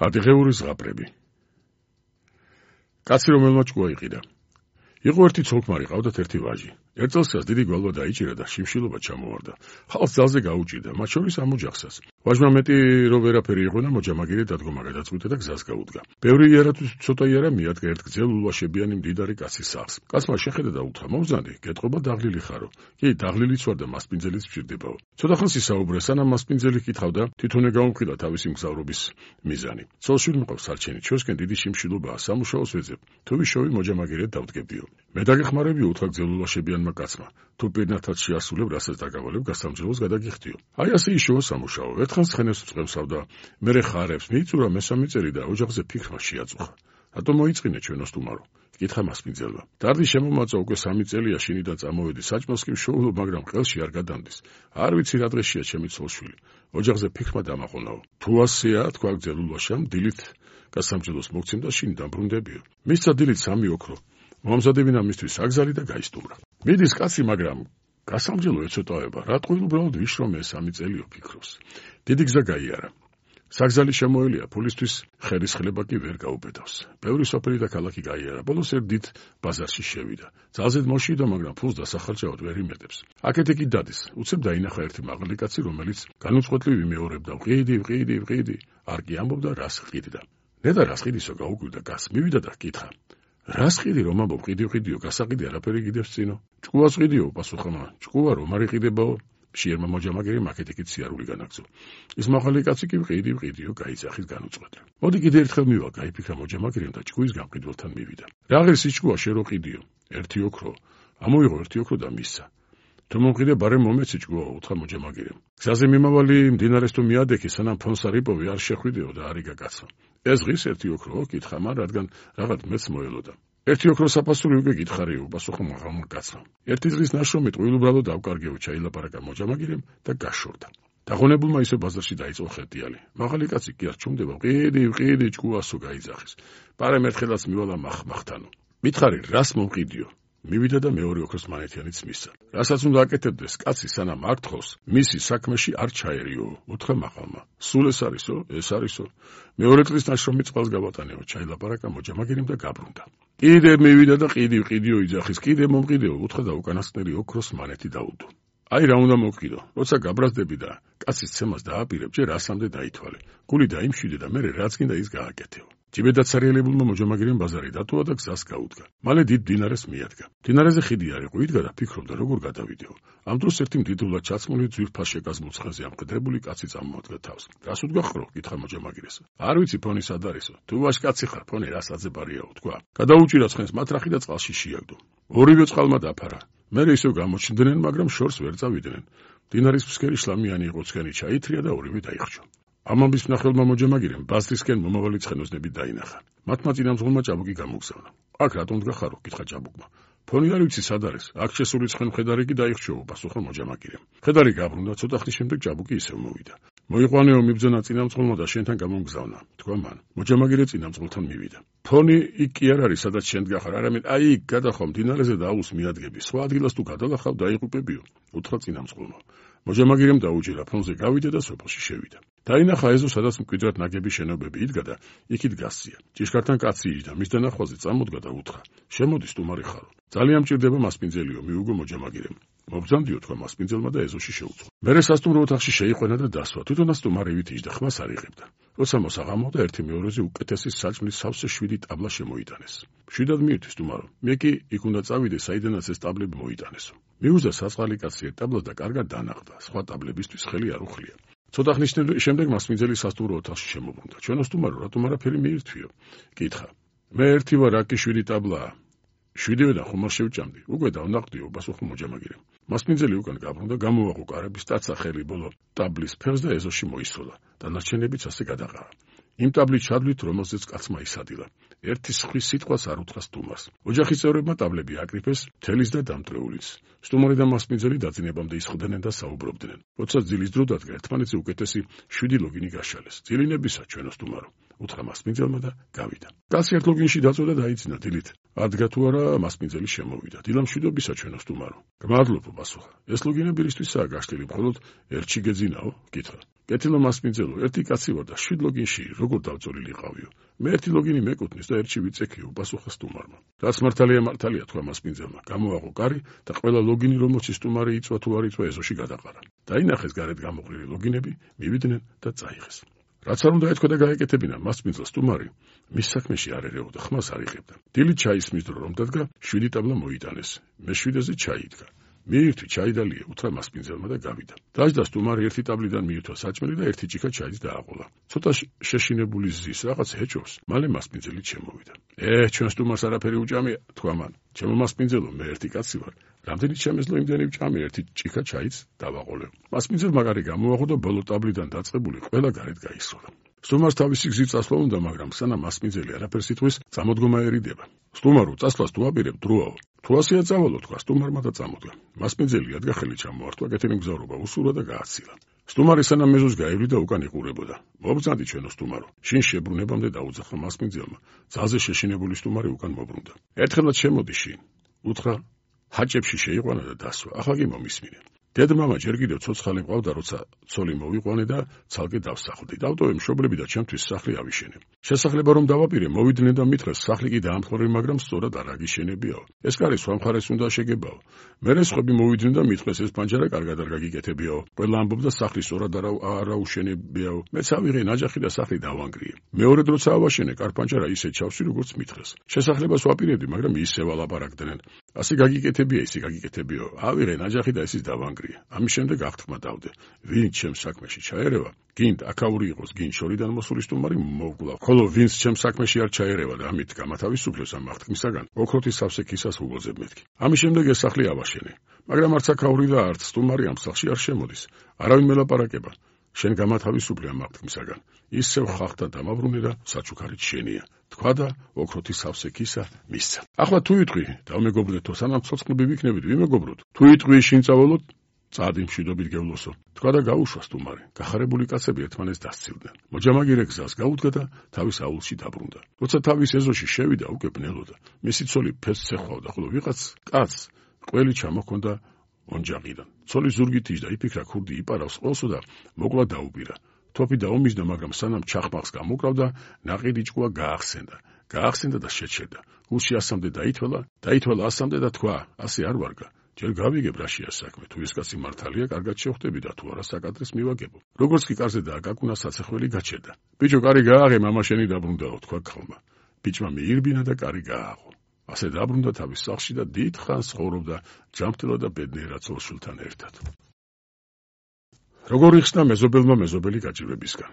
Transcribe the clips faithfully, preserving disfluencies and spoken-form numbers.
ადიღეური ზღაპრები. კაცი რომელმა ჭკუა იყიდა. იყო ერთი ცოლქმარი, ყავდათ ერთი ვაჟი. ერთ წელს დიდი გვალვა დაიჭირა და შიმშილობა ჩამოვარდა. ხალხს ძალზე გაუჭირდა, მათ შორის ამ ოჯახსაც. ვაჟმა მეტი რო ვერაფერი იყო და მოჯამაგირე დადგომა გადაწყვიტა და გზას გაუდგა. ბევრი იარა თუ ცოტა იარა მიადგა ერთ გრძელ ულვაშებიანი მდიდარი კაცის სახლს. კაცმა შეხედა და უთხრა: "მოგზანდი, გეტყობა დაღლილი ხარო?" "კი, დაღლილიც ვარ და მასპინძელიც ვჭირდებაო." ცოტა ხანს ისაუბრა, სანამ მასპინძელი ჰკითხავდა, თვითონე გაუმხილა თავისი მგზავრობის მიზანი. "ცოლ-შვილი მყავს სარჩენი, ჩვენსკენ დიდი შიმშილობაა, სამუშაოს ვეძებ. თუ ვიშოვი მოჯამაგირედ დავდგებდიო." "მე დაგეხმარებიო," უთხრა გრძელ ულვაშებიანმა კაცმა. "თუ პირნათად შეასრულებ, რასაც დაგავალებ, გასამჯელოს გადაგიხდიო." "აი ასე იშოვა სამუშაო. ერთხანს ცხენებს წვევსავ და მერე ხარებს, მიიწურა მესამე წელი და ოჯახზე ფიქრმა შეაწუხა. რატომ მოიწყინე ჩვენო სტუმარო?" კითხა მასპინძელმა. "დარდი შემომაწვა უკვე სამი წელია, შინიდან წამოვედი, საჭმელს კი ვშოულობ, მაგრამ ყელში არ გადამდის. არ ვიცი რა დღეშია ჩემი ცოლ-შვილი. ოჯახზე ფიქრმა დამაყონაო." "თუ ასეა," თქვა გრძელ ულვაშამ, "დილით გასამჯელოს მოგცემ და შინ დამბრუნდებიო." მისცა დილით სამი ოქრო. მომზადებინა მისთვის აგზალი და გაისტუმრა. მიდის კაცი, მაგრამ გასამჯელო ეცოტავება, რატყვი უბრალოდ ვიშრომე სამი წელიო ფიქრობს. დიდი გზა გაიარა. საგზალი შემოელია, ფულისთვის ხერის ხლება კი ვერ გაუბედავს. ბევრი სოფელი და ქალაქი გაიარა, ბოლოს ერთ დიდ ბაზარში შევიდა. ძალზედ მოშიდა, მაგრამ ფულს დასახარჯავად ვერ იმედებს. აქეთ კი დადის, უცებ დაინახა ერთი მაღალი კაცი, რომელიც განუწყვეტლივ იმეორებდა: "ვყიდი, ვყიდი, ვყიდი." არ კი ამბობდა, რას ყიდდა. "ნედა რას ყიდისო?" გაუკვირდა კაცს. მივიდა და კითხა: "რას ყიდი რომ ამბობ, ყიდი ვყიდიო, გასაყიდე არაფერი გიდევს წინო." "ჭკუას ყიდიო," პასუხა მან. "ჭკუა რომ არ იყიდებაო." მშიერმა მოჯამაგირემ აქეთ-იქით სიარული განაგზო. ის მაღალი კაცი კი ვყიდი, ვყიდიო, გაიძახის განუწყვეტლივ. "მოდი კიდე ერთხელ მივა," გაიფიქრა მოჯამაგირემ და ჭკუის გამყიდველთან მივიდა. "რა ღირს იჭკუა, შენ რო ყიდიო?" "ერთი ოქრო." ამოიღო ერთი ოქრო და მისცა. "თუ მომყიდე, ბარემ მომეცი ჭკუაო," უთხრა მოჯამაგირემ. "გზაზე მიმავალი მდინარეს თუ მიადექი, სანამ ფონს არ იპოვი, არ შეხვიდეო და არ იგა კაცო." "ეს ღირს ერთი ოქროო?" კითხა მან, რადგან რაღაც მეც მოელოდა. "ერთი ოქრო საფასური უკვე გითხარიო," პასუხა მაღალმა კაცმა. "ერთი დღის ნაშრომი ტყუილუბრალო დავკარგეო," ჩაილაპარაკა მოჯამაგირემ და გაშორდა. დაღონებულმა ისე ბაზარში დაიწყო ხეტიალი. მაღალი კაცი კი არ ჩუმდება, "ვყიდი, ვყიდი, ჭკუასო," გაიძახის. "პარემ ერთხელაც მივალა მახმახთანო." "მითხარი, რას მომყიდიო?" მივიდა და მეორე ოქროს მანეთიანიც მისცა. "რასაც უნდა აკეთებდეს, კაცი სანამ არ თხოვს, მისი საქმეში არ ჩაერიო," უთხრა მაღალმა. "სულ ეს არისო? ეს არისო? მეორე წლის ნაშრომი წყალს გავატანეო," ჩაილაპარაკა მოჯამაგირემ და გაბრუნდა. "კიდე მივიდა და ყიდი, ვყიდიო," იძახის. "კიდე მომყიდეო," უთხრა და უკანასკნელი ოქროს მანეთი დაუდო. "აი რა უნდა მოვყიდო, როცა გაბრაზდები და კაცის ცემას დააპირებ, ჯერ ასამდე დაითვალე. გული დაიმშვიდე და მერე რაც გინდა ის გააკეთეო." ჯიბედად სარიელებულმა მოჯამაგირემ ბაზარი დათუა და გზას გაუდგა. მალე დიდ მდინარეს მიადგა. მდინარეზე ხიდი არ იყო, იდგა და ფიქრობდა, როგორ გადავიდეო. ამ დროს ერთი მდიდრულად ჩაცმული ძვირფას მუცხაზე ამყდრებული კაცი წამოადგა თავს. "რას უდგა ხრო?" კითხა მოჯამაგირეს. "არ ვიცი, ფონი სად არისო? თუ ვაშკაცი ხარ, ფონი რას აძებარიაო," თქვა. "გადაუჭირა ცხენს მათრახი და წყალში შეაგდო. ორივე წყალმა დაფარა. მერე ისევ გამოჩნდნენ, მაგრამ შორს ვერ წავიდნენ. მდინარის ფსკერი შლამიანი იყო, ცხენი ჩაითრია და ორივე დაიხრჩო." ამ ამბის მნახველმა მოჯამაგირემ ბაზრისკენ მომავალი ცხენოსნები დაინახა. მათმა წინამძღოლმა ჭაბუკი გამოგზავნა. "აქ რატომ დგახარო?" კითხა ჭაბუკმა. "ფონი არ ვიცი სად არის, აქ შესული ცხენ მხედარი კი დაიხრჩოო," პასუხა მოჯამაგირემ. მხედარი გაბრუნდა, ცოტა ხნის შემდეგ ჭაბუკი ისევ მოვიდა. "მოიყვანეო მიბძანა წინამძღოლმა და შენთან გამომგზავნა," თქვა მან. მოჯამაგირე წინამძღოლთან მივიდა. "ფონი იქ კი არ არის, სადაც შენ დგახარ, არამედ აი იქ გადახვა მდინარეზე და აუს მიადგები. სხვა ადგილას თუ გადალახავ, დაიღუპებიო," უთხრა წინამძღოლმა. მოჯამაგირემ დაუჭირა, ფონზე გავიდა და სოფელში შევიდა. დაინახა ეზო, სადაც მკვიდრად ნაგები შენობები იდგა და იქით გასწია. ჭიშკართან კაცი იჯდა, მის დანახვაზე წამოდგა და უთხრა: "შემოდი, სტუმარი ხარო." "ძალიან მჭირდება მასპინძელიო," მიუგო მოჯამაგირემ. "მობრძანდიო," თქვა მასპინძელმა და ეზოში შეუწყო. მერე სასტუმრო ოთახში შეიყვანა და დასვა. თვითონაც სტუმარივით იჯდა, ხმას არ იღებდა. როცა მოსაღამოდა, ერთი მეორეზე უკეთესი საჭმლის სავსე შვიდი ტაბლა შემოიტანეს. "მშვიდად მიირთვი, სტუმარო. მე კი იქ უნდა წავიდე, საიდანაც ეს ტაბლები მოიტანესო." მიუძდა საწყალი კაცი ერთ ტაბლას და კარგად დანახდა. სხვა ტაბლებისთვის ხელი არ უხლია. ცოტა ხნის შემდეგ მასპინძელი სასტუმრო ოთახში შემოbrunდა. "ჩვენო სტუმარო, რატომ არაფერი მიირთვიო?" კითხა. "მე ერთი ვარ, აქ შვიდი ტაბლაა." "შვიდივე და ხომ არ შევჭამდი?" "უკვე დავნახდიო," პასუხა მოჯამაგირემ. მასპინძელი უკან გაბრუნდა, გამოვაყო კარები, სტაცა ხელი ბოლო ტაბლის ფეხს და ეზოში მოისროლა. დანარჩენებიც ასე გადაყარა. იმ ტაბლით ჩადვლით, რომელზეც კაცმა ისადილა. ერთი სხვის სიტყვას არ უთხრა სტუმარს. ოჯახის წევრებმა ტაბლები აკრიფეს, თელის და დამტრეულიც. სტუმარი და მასპინძელი დაძინებამდე ისხდნენ და საუბრობდნენ. როცა ძილის დრო დადგა, ერთმანეთზე უკეთესი შვიდი ლოგინი გაშალეს. "ძილინებისა, ჩვენო სტუმარო," უთხრა მასპინძელმა და გავიდა. კაცი ერთ ლოგინში დაწვა და დაიძინა დილით. ადგა თუ არა მასპინძელი შემოვიდა. დილა მშვიდობისა ჩვენო სტუმარო. გმადლობ პასუხა. ეს ლოგინები რისთვისაა გაშლილი, მხოლოდ ერთში გეძინაო? კითხა. კეთილო მასპინძელო, ერთი კაცი ვარ და შვიდ ლოგინში როგორ დავწოლილი ყავიო. მე ერთი ლოგინი მეკუთვნის და ერთში ვიწექიო, პასუხა სტუმარმა. რაც მართალია მართალია თქვა მასპინძელმა. გამოაყო კარი და ყველა ლოგინი რომელში სტუმარი იწვა თუ არ იწვა ეზოში გადაყარა. დაინახეს გარეთ გამოყრილი ლოგინები, მივიდნენ და წაიღეს. რაც არ უნდა ეთქვა და გაეკეთებინა მასპინძელ სტუმარი, მის საქმეში არ ერეოდა, ხმას არ იღებდა. დილით ჩაისმის დრო რომ დადგა, შვიდი ტაბლა მოიტანეს. მეშვიდეზე ჩაი იდგა. მიირთვი ჩაი და ლია, უთხრა მასპინძელმა და გავიდა. დაждდა სტუმარი ერთი ტაბლიდან მიირთვა საჭმელი და ერთი ჭიქა ჩაიც დააყოლა. ცოტა შეშინებული ზის რაღაც ეჭვს, მალე მასპინძელი შემოვიდა. ე, ჩვენ სტუმარს არაფერი უჭამია, თქვა მან. ჩემო მასპინძელო, მე ერთი კაცი ვარ. რამდენი შემეძლო იმდენი ვჭამე, ერთი ჭიქა ჩაიც დავაყოლე. მასპინძელმა კარი გამოაყო და ბოლო ტაბლიდან დაწყებული ყველა გარეთ გაისროლა. სტუმარს თავისი გზით წასვლა უნდა, მაგრამ სანამ მასპინძელი არაფერს იტყვის, წამოდგომა ერიდება. სტუმარო, წასვლას თუ აპირებ, დროაო. თუ ასეა წავალო, თქვა სტუმარმა და წამოდგა. მასპინძელი ადგა ხელი ჩამოართვა, კეთილი მგზავრობა უსურვა და გააცილა. სტუმარი სანამ მეზოს გაევლიდა, უკან იყურებოდა. მობრძანდი ჩვენო სტუმარო. შინ შებრუნებამდე დაუძახა მასპინძელმა. ძალზე შეშინებული სტუმარი უკან მობრუნდა. ერთხელაც შემოდი შინ. უთხრა, ჰაჭებში შეიყვანა და დასვა. ახლა კი მომისმინე. დედმამა ჯერ კიდევ ცოცხალი მყავდა, როცა ცოლი მოვიყვანე და ცალკე დავსახლდი. დავტოვე მშობლები და ჩემთვის სახლი ავიშენე. შესახლება რომ დავაპირე, მოვიდნენ და მითხრეს, სახლი კი დაამხმარე, მაგრამ სწორად არ აგიშენებიაო. ეს კარი სხვა მხარეს უნდა შეგებაო. მერე სხვები მოვიდნენ და მითხრეს, ეს პანჯარა კარგად არ გაგიკეთებიაო. ყველა ამბობდა, სახლი სწორად არ აუშენებიაო. მეც ავიღე ნაჯახი და სახლი დავანგრიე. მეორედ როცა ავაშენე, კარპანჯარა ისე ჩავსვი, როგორც მითხრეს. შესახლებას ვაპირებდი, მაგრამ ისე ვალაპარაკდნენ. ასე გაგიკეთებია, ისე გაგიკეთებიაო. ავიღე ნაჯახი და ისიც დავანგრიე. ამის შემდეგ აღთქმა დავდე, ვინც ჩემს საქმეში ჩაერევა, გინდ აქაური იყოს, გინდ შორიდან მოსული სტუმარი მოვგლა, ხოლო ვინც ჩემს საქმეში არ ჩაერევა და ამით გამათავისუფლებს ამ აღთქმისაგან, ოქროთის სავსე ქისას უგოძებ მეთქი. ამის შემდეგ ეს სახლი ავაშენე, მაგრამ არც აქაური და არც სტუმარი ამ სახლში არ შემოდის. არავინ მელაპარაკება. შენ გამათავისუფლე ამ აღთქმისაგან. ისევ ხალხთან დამაბრუნე და საჩუქარით შენია. თქვა და ოქროთის სავსე ქისა მისცა. ახლა თუ იტყვი, დავმეგობრდეთო, სანამ ცოცხლები ვიქნებით, ვიმეგობროთ. თუ იტყვი, შინ წავალოთ, წადი მშვიდობით გევლოსო. თქვა და გაუშვა სტუმარი. გახარებული კაცები ერთმანეთს დასცილდნენ. მოჯამაგირე გზას გაუდგა და თავის აუზში დაბრუნდა. როცა თავის ეზოში შევიდა, უკვე ბნელოდა. მისი ცოლი ფესს ეხვავდა, ხოლო ვიღაც კაცს ყველი ჩამოჰქონდა ოჯახიდან. ცოლი ზურგით იჯდა, იფიქრა, ქურდი იპარავს ყველსო და მოკლა დაუპირა. თოფი დაუმისდა, მაგრამ სანამ ჩახმახს გამოკრავდა, ნაყიდი ჭკუა გაახსენდა. გაახსენდა და შეჩერდა. გულში ასამდე დაითვალა, დაითვალა ასამდე და თქვა, ასე არ ვარგა. ჯერ გავიგებ რაშია საქმე, თუ ეს კაცი მართალია, კარგად შევხვდები და თუ არა საკადრეს მივაგებო. როგორც კი კარზე დააკაკუნა, საცეხველი გაჩერდა. ბიჭო, კარი გააღე, მამა შენი დაბრუნდაო, თქვა ქალმა. ბიჭმა მიირბინა და კარი გააღო. ასე დაბრუნდა თავის სახლში და დიდ ხანს ცხოვრობდა ჯანმრთელად და ბედნიერად ცოლ-შვილთან ერთად. როგორ იხსნა მეზობელმა მეზობელი გაჭირვებისგან.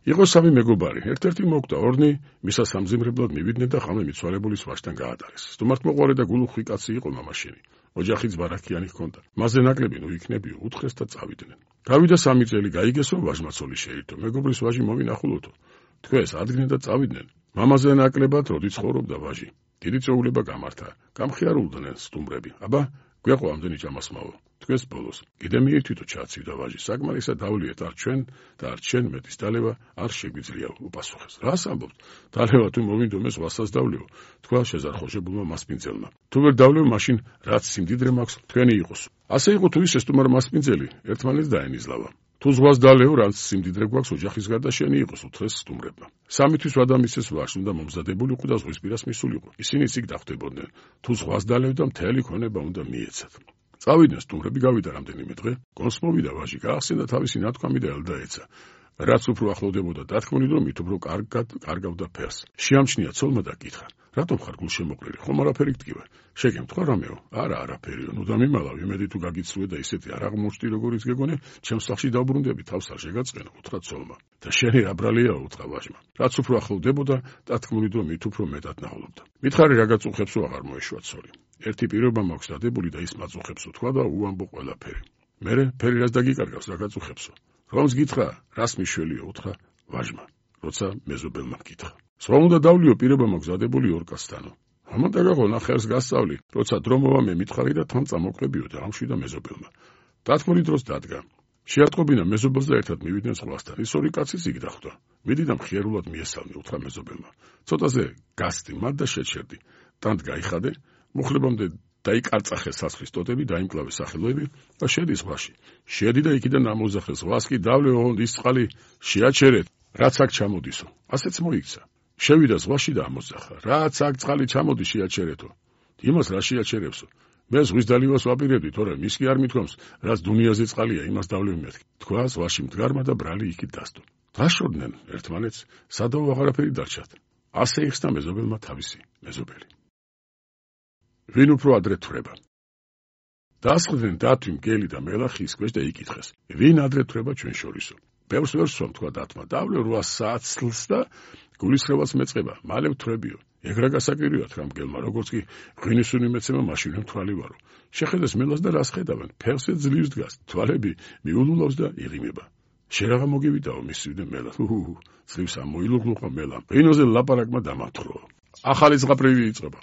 იყო სამი მეგობარი, ერთ-ერთი მოკვდა, ორნი მისა სამზიმრებლად მივიდნენ და ხამე მიცვალებულის ვაჟთან გაატარეს. სტუმართმოყვარე და გულუხვი კაცი იყო მამაშენი. ოჯახიც ბარაქიანი ჰქონდა. მასზე ნაკლები ნუ იქნებიო, უთხრეს და წავიდნენ. გავიდა სამი წელი, გაიგესო, ვაჟმა ცოლი შეირთო. მეგობრის ვაჟი მოვინახულოთო. თქვეს, ადგნენ და წავიდნენ. მამაზე ნაკლებად როდი ცხოვრობდა ვაჟი. დიდი წვეულება გამართა. გამხიარულდნენ სტუმრები. აბა, გვეყო ამდენი ჭამასმაო. თქვეს ბოლოს. კიდე მიირთვითო ჩაცივდა ვაჟი. საკმარისად დავლიეთ, არ ჩვენ და არ ჩვენ მეტის დალევა არ შეგვიძლია, უპასუხეს. რას ამბობთ? დალევა თუ მოვინდომეს ვასაც დავლეო, თქვა შეზარხოშებულმა მასპინძელმა. თუ ვერ დავლევ, მაშინ რაც სიმდიდრე მაქვს, თქვენი იყოს. ასე იყო თუ ისე სტუმარ მასპინძელი ერთმანეთს დაენიზლავა. თუ ზღვას დალეო, რაც სიმდიდრე გვაქვს, ოჯახის გარდა შენი იყოს, უთხრეს სტუმრებმა. სამი თვის ვადამისეს ვარს უნდა მომზადებულიყო და ზღვისპირას მისულიყო. ისინი იქ დახვდებოდნენ. თუ ზღვას დალევ და მთელი ქონება უნდა მიეცათ. წავიდნენ სტუმრები, გავიდა რამდენიმე დღე, გონს მოვიდა ვაჟი, გაახსენდა თავისი ნათქვამი და ელდაეცა. რაც უფრო ახლოვდებოდა დათქმული, რომ მით უფრო კარგად კარგავდა ფერს. შეამჩნია ცოლმა და კითხა, რატომ ხარ გულშემოყრილი, ხომ არაფერი გტკივარ? შეგემთხვა რამეო? არა, არაფერიო, ნუ დამიმალავ, იმედი თუ გაგიცრუე და ისეთი არ აღმოჩნდი, როგორიც გეგონე, ჩემს სახლში დავბრუნდები, თავს არ შეგაწყენო, უთხრა ცოლმა. და შენი რა ბრალიაო, უთხრა ვაჟმა. რაც უფრო ახლოვდებოდა, დათქმული, რომ მით უფრო მეტად ნაღლობდა. მითხარი რა გაწუხებსო, აღარ მოეშვა ცოლი. ერთი პირობა მაქვს დადებული და ის მაწუხებსო, თქვა და უამბო ყველაფერი. მერე ფერი რას დაგიკარგავს, რა გაწუხებსო? რომს გითხრა, რას მიშველიო, უთხრა ვაჟმა, როცა მეზობელმა გითხრა. სხვა უნდა დავლიო, პირობა მაქვს დადებული ორ კაცთანო. ამან დაგაღო, ნახევარს გასწავლი, როცა დრო მოვა მე მითხარი და თან წამოყრებიო და ამშვიდა მეზობელმა. დათქმული დროს დადგა. შეატყობინა მეზობელს და ერთად მივიდნენ ზღვასთან. ის ორი კაციც იქ დახვდა. მიდი და მხიარულად მიესალმი, უთხრა მეზობელმა. ცოტაზე გასწი მათ და შეჩერდი. ტანთ გაიხადე, მუხლებამდე დაიკარწახე სასხლის ტოტები, დაიმკლავე სახელოები და შედი ზღვაში. შედი და იქიდან ამოუზახე ზღვას კი დავლე ოღონდ ის წყალი შეაჩერეთ, რაც აქ ჩამოდისო. ასეც მოიქცა. შევიდა ზღვაში და ამოძახა. რაც აქ წყალი ჩამოდის შეაჩერეთო. იმას რა შეაჩერებსო? მე ზღვის დალივას ვაპირებდი, თორემ ის კი არ მithქვამს, რაც დუნიაზე წყალია, იმას დავლევ მეთქი. თქვა ზღვაში მდგარმა და ბრალი იქით დასდო. დაშორდნენ ერთმანეთს, სადაო აღარაფერი დარჩათ. ასე იხსნა მეზობელმა თავისი მეზობელი. ვინ უფრო ადრე თვრება? დაასხდნენ დათვი, მგელი და მელახი ის ქვეშ და იკითხეს. ვინ ადრე თვრება ჩვენ შორისო? ბევრს ვერ სვამ, თქვა დათმა. დავლე რვა საათს წლს და გულისხმევას მეწყება, მალე ვთვრებიო. ეგრა გასაკვირია თქმა მგელმა, როგორც კი ღვინისუნი მეცემა მაშინვე მთვალი ვარო. შეხედეს მელას და რას ხედავენ? ფეხზე ძლივს დგას, თვალები მიულულავს და იღიმება. შენ რაღა მოგივიდაო, მისივდე მელა. უჰუ, ძლივს ამოილუღლუღა მელამ. ღვინოზე ლაპარაკმა დამათრო. ახალი ზღაპრივი იწყება.